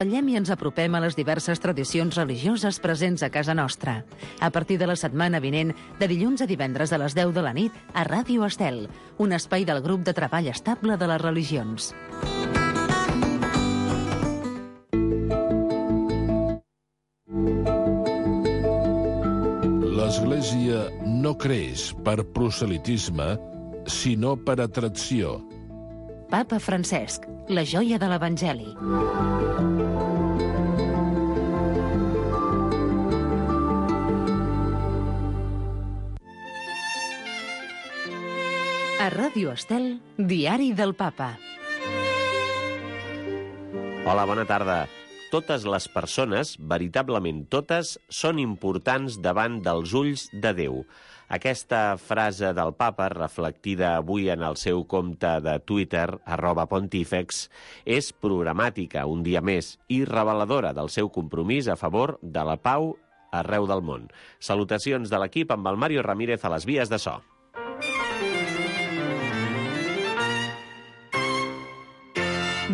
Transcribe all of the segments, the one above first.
Ballem i ens apropem a les diverses tradicions religioses presents a casa nostra. A partir de la setmana vinent, de dilluns a divendres a les 10 de la nit, a Ràdio Estel, un espai del grup de treball estable de les religions. L'Església no creix per proselitisme, sinó per atracció. Papa Francesc, la joia de l'Evangeli. A Ràdio Estel, Diari del Papa. Hola, bona tarda. Totes les persones, veritablement totes, són importants davant dels ulls de Déu. Aquesta frase del papa, reflectida avui en el seu compte de Twitter, @pontífex, és programàtica, un dia més, i reveladora del seu compromís a favor de la pau arreu del món. Salutacions de l'equip amb el Mario Ramírez a les vies de so.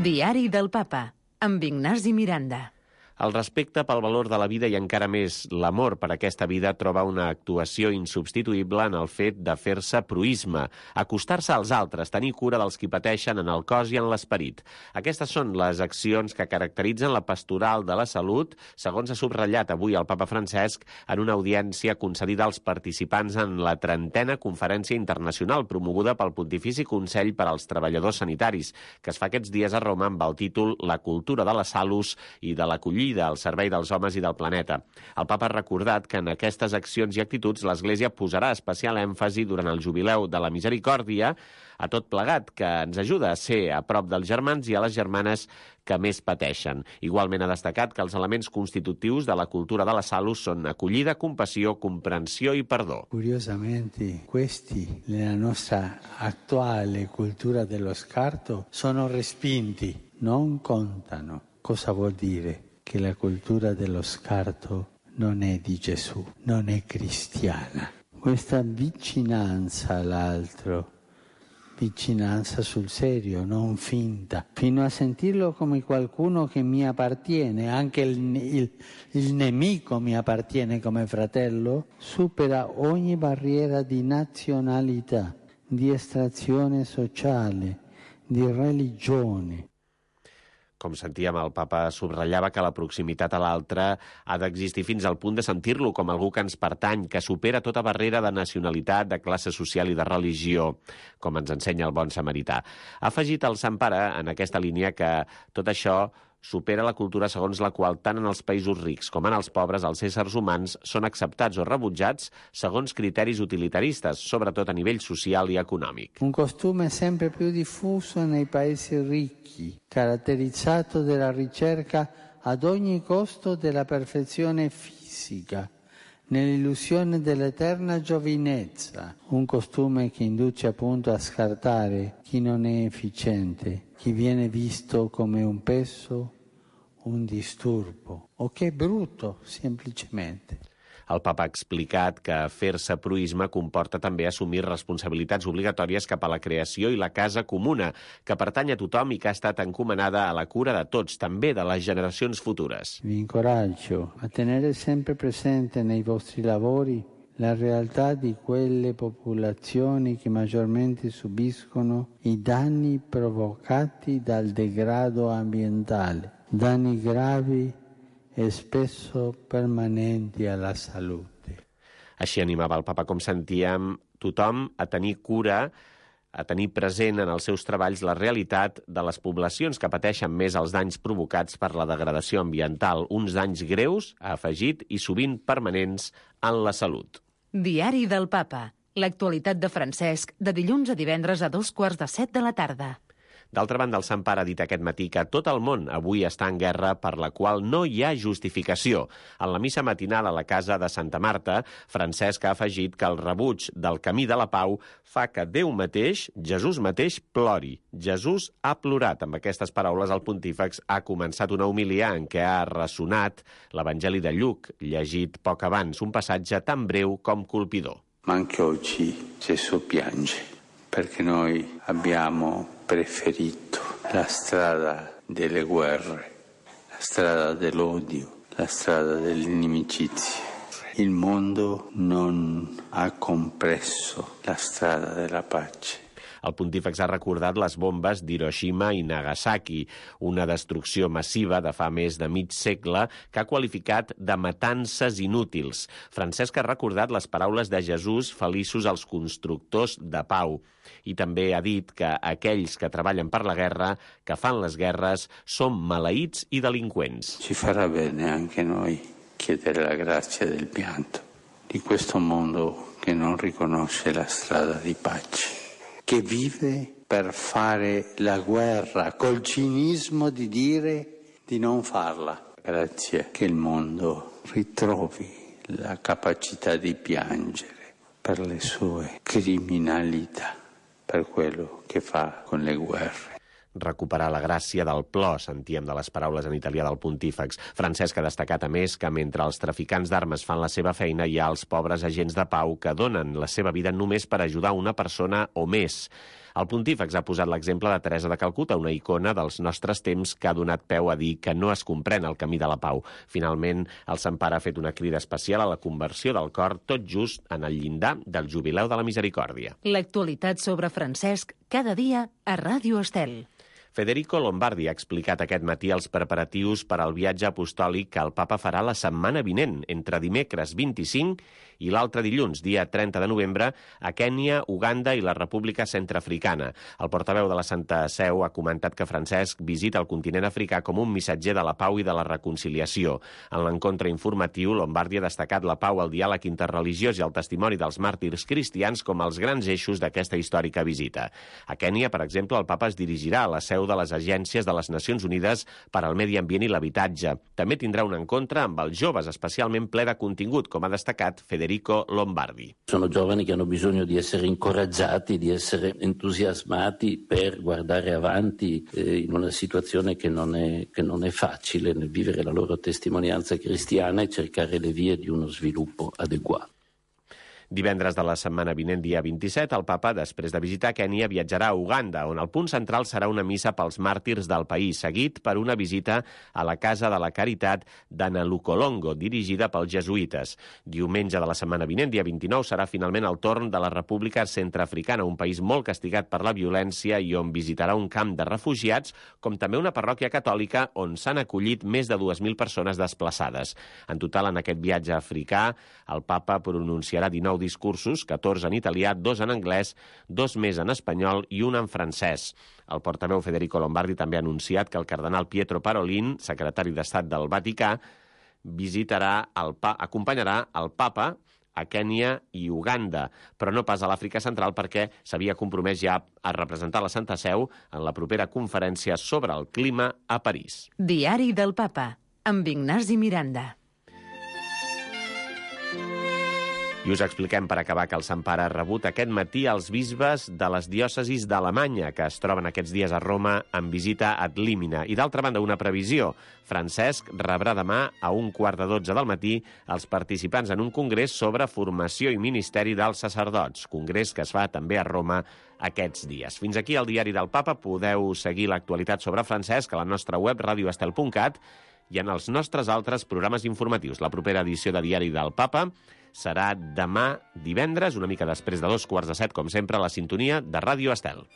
Diari del Papa, amb Ignasi Miranda. El respecte pel valor de la vida i encara més l'amor per aquesta vida troba una actuació insubstituïble en el fet de fer-se proïsme, acostar-se als altres, tenir cura dels qui pateixen en el cos i en l'esperit. Aquestes són les accions que caracteritzen la pastoral de la salut, segons ha subratllat avui el papa Francesc en una audiència concedida als participants en la 30a Conferència Internacional promoguda pel Pontifici Consell per als Treballadors Sanitaris, que es fa aquests dies a Roma amb el títol La cultura de la salus i de l'acollida al servei dels homes i del planeta. El papa ha recordat que en aquestes accions i actituds l'Església posarà especial èmfasi durant el jubileu de la misericòrdia a tot plegat, que ens ajuda a ser a prop dels germans i a les germanes que més pateixen. Igualment ha destacat que els elements constitutius de la cultura de la salus són acollida, compassió, comprensió i perdó. Curiosamente, questi, nella nostra attuale cultura dello scarto, sono respinti, non contano. Cosa vuol dire? Che la cultura dello scarto non è di Gesù, non è cristiana. Questa vicinanza all'altro, vicinanza sul serio, non finta, fino a sentirlo come qualcuno che mi appartiene, anche il nemico mi appartiene come fratello, supera ogni barriera di nazionalità, di estrazione sociale, di religione. Com sentíem, el papa subratllava que la proximitat a l'altre ha d'existir fins al punt de sentir-lo com algú que ens pertany, que supera tota barrera de nacionalitat, de classe social i de religió, com ens ensenya el bon samarità. Ha afegit el Sant Pare en aquesta línia que tot això supera la cultura segons la qual tant en els països rics com en els pobres els éssers humans són acceptats o rebutjats segons criteris utilitaristes, sobretot a nivell social i econòmic. Un costume sempre più diffuso nei paesi ricchi, caratterizzato dalla ricerca ad ogni costo della perfezione fisica, nell'illusione dell'eterna giovinezza, un costume che induce appunto a scartare chi non è efficiente, chi viene visto come un peso, un disturbo o che è brutto semplicemente. El papa ha explicat que fer-se proïsme comporta també assumir responsabilitats obligatòries cap a la creació i la casa comuna, que pertany a tothom i que ha estat encomanada a la cura de tots, també de les generacions futures. Vi incoraggio a tenere sempre presente nei vostri lavori la realtà di quelle popolazioni che maggiormente subiscono i danni provocati dal degrado ambientale, danni gravi e spesso permanenti alla salute. Així animava el papa, com sentíem, tothom a tenir cura, a tenir present en els seus treballs la realitat de les poblacions que pateixen més els danys provocats per la degradació ambiental, uns danys greus, ha afegit, i sovint permanents en la salut. Diari del Papa. L'actualitat de Francesc, de dilluns a divendres a 2:15 de la tarda. D'altra banda, el Sant Pare ha dit aquest matí que tot el món avui està en guerra per la qual no hi ha justificació. En la missa matinal a la casa de Santa Marta, Francesc ha afegit que el rebuig del camí de la pau fa que Déu mateix, Jesús mateix, plori. Jesús ha plorat. Amb aquestes paraules, el pontífex ha començat una homilia en què ha ressonat l'Evangeli de Lluc, llegit poc abans, un passatge tan breu com colpidor. Ma anche oggi Gesù piange, perché noi abbiamo preferito la strada delle guerre, la strada dell'odio, la strada dell'inimicizia. Il mondo non ha compreso la strada della pace. El pontífex ha recordat les bombes d'Hiroshima i Nagasaki, una destrucció massiva de fa més de mig segle que ha qualificat de matances inútils. Francesc ha recordat les paraules de Jesús, feliços els constructors de pau. I també ha dit que aquells que treballen per la guerra, que fan les guerres, són maleïts i delinqüents. Ci farà bene anche noi chiedere la grazia del pianto di questo mondo che non riconosce la strada di pace, che vive per fare la guerra col cinismo di dire di non farla. Grazie che il mondo ritrovi la capacità di piangere per le sue criminalità, per quello che fa con le guerre. Recuperar la gràcia del plor, sentíem de les paraules en italià del pontífex. Francesc ha destacat, a més, que mentre els traficants d'armes fan la seva feina, hi ha els pobres agents de pau que donen la seva vida només per ajudar una persona o més. El pontífex ha posat l'exemple de Teresa de Calcuta, una icona dels nostres temps que ha donat peu a dir que no es comprèn el camí de la pau. Finalment, el Sant Pare ha fet una crida especial a la conversió del cor tot just en el llindar del Jubileu de la Misericòrdia. L'actualitat sobre Francesc cada dia a Ràdio Estel. Federico Lombardi ha explicat aquest matí els preparatius per al viatge apostòlic que el papa farà la setmana vinent, entre dimecres 25 i l'altre dilluns, dia 30 de novembre, a Kènia, Uganda i la República Centreafricana. El portaveu de la Santa Seu ha comentat que Francesc visita el continent africà com un missatger de la pau i de la reconciliació. En l'encontre informatiu, Lombardi ha destacat la pau, el diàleg interreligiós i el testimoni dels màrtirs cristians com els grans eixos d'aquesta històrica visita. A Kènia, per exemple, el papa es dirigirà a la seu de les agències de les Nacions Unides per al Medi Ambient i l'Habitatge. També tindrà un encontre amb els joves, especialment ple de contingut, com ha destacat Federico Lombardi. Sono giovani che hanno bisogno di essere incoraggiati, di essere entusiasmati per guardare avanti in una situazione che non è facile nel vivere la loro testimonianza cristiana e cercare le vie di uno sviluppo adeguato. Divendres de la setmana vinent, dia 27, el papa, després de visitar Kènia, viatjarà a Uganda, on el punt central serà una missa pels màrtirs del país, seguit per una visita a la Casa de la Caritat d'Analukolongo, dirigida pels jesuïtes. Diumenge de la setmana vinent, dia 29, serà finalment el torn de la República Centreafricana, un país molt castigat per la violència i on visitarà un camp de refugiats, com també una parròquia catòlica on s'han acollit més de 2.000 persones desplaçades. En total, en aquest viatge africà, el papa pronunciarà 19 discursos, 14 en italià, 2 en anglès, 2 més en espanyol i 1 en francès. El portaveu Federico Lombardi també ha anunciat que el cardenal Pietro Parolin, secretari d'Estat del Vaticà, acompanyarà el papa a Kènia i Uganda, però no pas a l'Àfrica Central perquè s'havia compromès ja a representar la Santa Seu en la propera conferència sobre el clima a París. Diari del Papa, amb Ignasi Miranda. I us expliquem per acabar que el Sant Pare ha rebut aquest matí els bisbes de les diòcesis d'Alemanya, que es troben aquests dies a Roma en visita ad limina. I d'altra banda, una previsió. Francesc rebrà demà a 11:15 del matí els participants en un congrés sobre formació i ministeri dels sacerdots, congrés que es fa també a Roma aquests dies. Fins aquí el Diari del Papa. Podeu seguir l'actualitat sobre Francesc a la nostra web radioestel.cat i en els nostres altres programes informatius. La propera edició de Diari del Papa serà demà divendres, una mica després de 7:15, com sempre, a la sintonia de Ràdio Estel.